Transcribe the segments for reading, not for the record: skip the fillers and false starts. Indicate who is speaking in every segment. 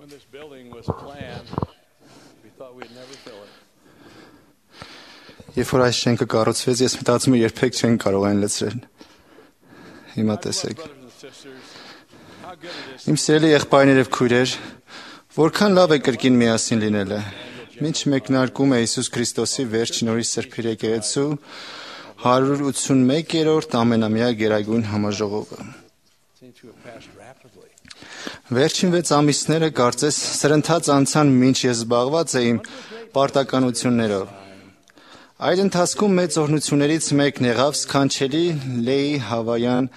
Speaker 1: When this building was planned, we thought we'd never fill it.
Speaker 2: Երբ որ այս շենքը կառուցվեց, ես մտածում եմ երբեք չեն կարող այն լցրել։ Հիմա տեսեք։ Իմ սիրելի եղբայրներ եւ քույրեր, որքան լավ է կրկին միասին լինելը։ Մինչ մեկնարկում է Հիսուս Քրիստոսի վերջին օրի Սրբիր եկեղեցու 181-րդ ամենամյա գերագույն համաժողովը։ Վերջին 6 ամիսները կարծես սրընթաց անցան, մինչ ես զբաղված էի պարտականություններով։ Այդ ընթացքում մեծ օրհնություններից մեկն եղավ սքանչելի Լեի Հավայան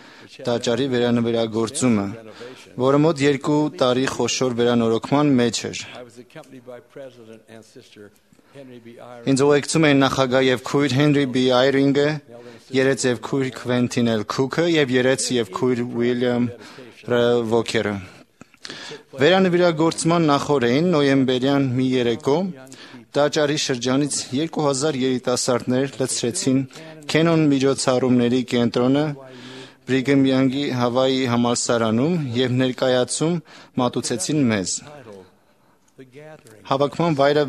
Speaker 2: տաճարի վերանվերագործումը, որը մոտ 2 տարի խոշոր վերանորոգման մեջ էր։ Ինձ ուղեկցում էին նախագահ եւ քույր Հենրի B. Այրինգը, երեց եւ քույր Քվենտին L. Քուքը եւ երեց եւ քույր Ուիլյամ Վոքերը։ Վերանվերագործման նախօրեին նոյեմբերյան մի երեկո տաճարի շրջանից 2000 երիտասարդներ լցրեցին Քենոն միջոցառումների կենտրոնը Բրիգեմ Յանգի Հավայի համալսարանում եւ ներկայացում մատուցեցին մեզ։ Հավաքման վայրը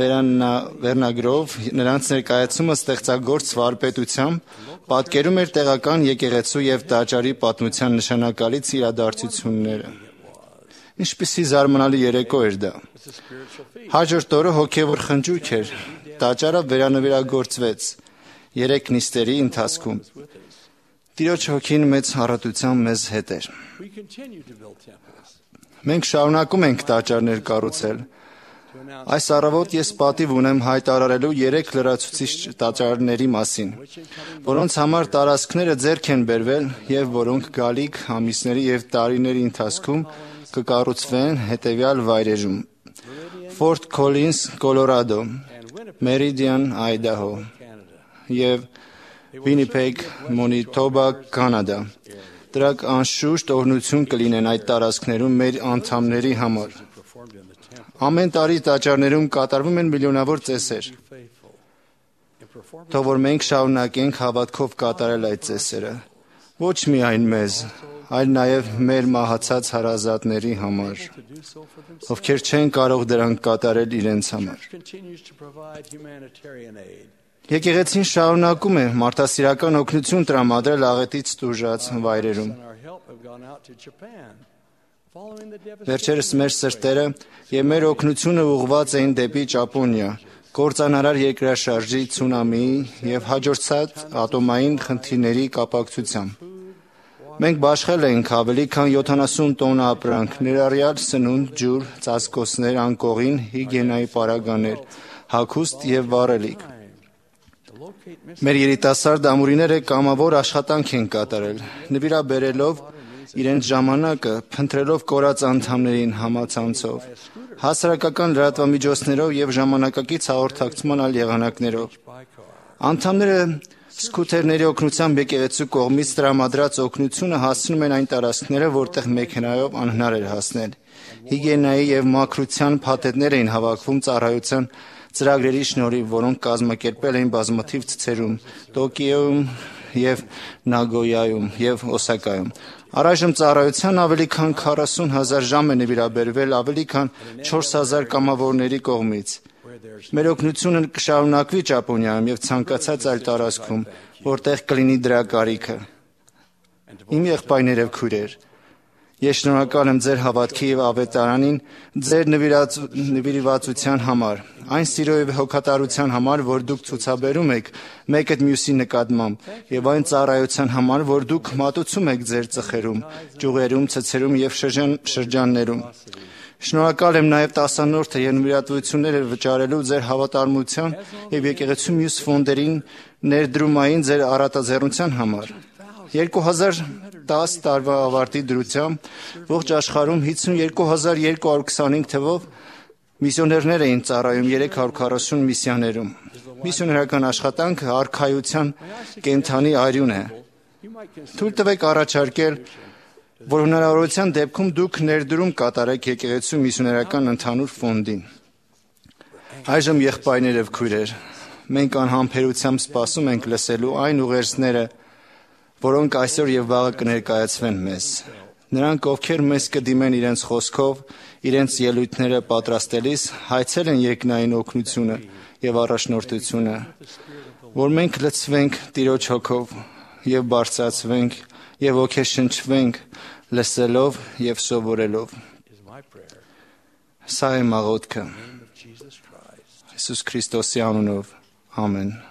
Speaker 2: վերնագրով նրանց ներկայացումը ստեղծագործ վարպետությամբ պատկերում էր տեղական եկեղեցու եւ տաճարի պատմության նշանակալից իրադարձությունները։ Ինչպիսի զարմանալի երեկո էր դա։ Հաջորդ օրը հոգևոր խնջույք էր, տաճարը վերանվերագործվեց 3 նիստերի ընթացքում։ Տիրոջ հոգին մեծ առատությամբ մեզ հետ էր։ Մենք շարունակում ենք տաճարներ կառուցել։ Այս առավոտ ես պատիվ ունեմ հայտարարելու 3 լրացուցիչ տաճարների մասին, որոնց համար տարածքները ձեռք են բերվել եւ որոնք գալիք ամիսների եւ տարիների ընթացքում կկառուցվեն հետևյալ վայրերում. Fort Collins, Colorado, Meridian, Idaho եւ Winnipeg, Manitoba, Canada։ Դրանք անշուշտ օրհնություն կլինեն այդ տարածքներում մեր անդամների համար։ Ամեն տարի տաճարներում կատարվում են միլիոնավոր ծեսեր։ Թող որ մենք շարունակենք հավատքով կատարել այդ ծեսերը։ Ոչ միայն մեզ, այլ նաև մեր մահացած հարազատների համար, ովքեր չեն կարող դրանք կատարել իրենց համար։ Եկեղեցին շարունակում է մարդասիրական օգնություն տրամադրել աղետից տուժած վայրերում։ Վերջերս մեր սրտերը եւ մեր օգնությունը ուղղված էին դեպի Ճապոնիա, կործանարար երկրաշարժի, ցունամիի եւ հաջորդած ատոմային խնդիրների կապակցությամբ։ Մենք բաշխել ենք ավելի քան 70 տոննա ապրանք, ներառյալ սնունդ, ջուր, ծածկոցներ, անկողին, հիգիենայի պարագաներ, հագուստ եւ վառելիք։ Մեր երիտասարդ ամուրիները կամավոր աշխատանք են կատարել, նվիրաբերելով իրենց ժամանակը, փնտրելով կորած անդամներին համացանցով, հասարակական լրատվամիջոցներով եւ ժամանակակից հաղորդակցման այլ եղանակներով։ Անդամները սկութերների օգնությամբ եկեղեցու կողմից տրամադրած օգնությունը հասցնում են այն տարածքները, որտեղ մեքենայով անհնար էր հասնել։ Հիգիենայի եւ մաքրության փաթեթներ էին հավաքվում ծառայության ծրագրերի շնորհիվ, որոնք կազմակերպել էին բազմաթիվ ցցերում, Տոկիոյում եւ Նագոյայում եւ Օսակայում։ Առայժմ ծառայության ավելի քան 40,000 ժամ է նվիրաբերվել ավելի քան 4,000 կամավորների կողմից։ Մեր օգնությունը կշարունակվի Ճապոնիայում եւ ցանկացած այլ տարածքում, որտեղ կլինի դրա կարիքը։ Իմ եղբայրներ եւ քույրեր, ես շնորհակալ եմ ձեր հավատքի եւ ավետարանին, ձեր նվիրվածության համար, այն սիրո եւ հոգատարության համար, որ դուք ցուցաբերում եք մեկը մյուսի նկատմամբ, եւ այն ծառայության համար, որ դուք մատուցում եք ձեր ծխերում, ճյուղերում, ցցերում եւ շրջաններում։ Շնորհակալ եմ նաև 10-րդը եւ նվիրատվությունները վճարելու ձեր հավատարմության եւ եկեղեցու մյուս ֆոնդերին ներդրումային ձեր առատաձեռնության համար։ 2010 տարվա ավարտի դրությամբ ողջ աշխարհում 52,225 թվով միսիոներներ էին ծառայում 340 միսիաներում։ Միսիոներական աշխատանքը արքայության կենթանի արյուն է։ Թույլ տվեք առաջարկել, որ հնարավորության դեպքում դուք ներդրում կատարեք եկեղեցու միսիոներական ընդհանուր ֆոնդին։ Այժմ եղբայրներ եւ քույրեր, մենք անհամբերությամբ սպասում ենք լսելու այն ուղերձները, որոնք այսօր եւ վաղը կներկայացվեն մեզ։ Նրանք, ովքեր մեզ կդիմեն իրենց խոսքով, իրենց ելույթները պատրաստելիս, հայցել են երկնային օգնությունը եւ առաջնորդությունը, որ մենք լցվենք Տիրոջ հոգով եւ բարձրացվենք եւ ոգեշնչվենք լսելով եւ սովորելով։ Սա է աղոթքը Հիսուս Քրիստոսի անունով։ Ամեն։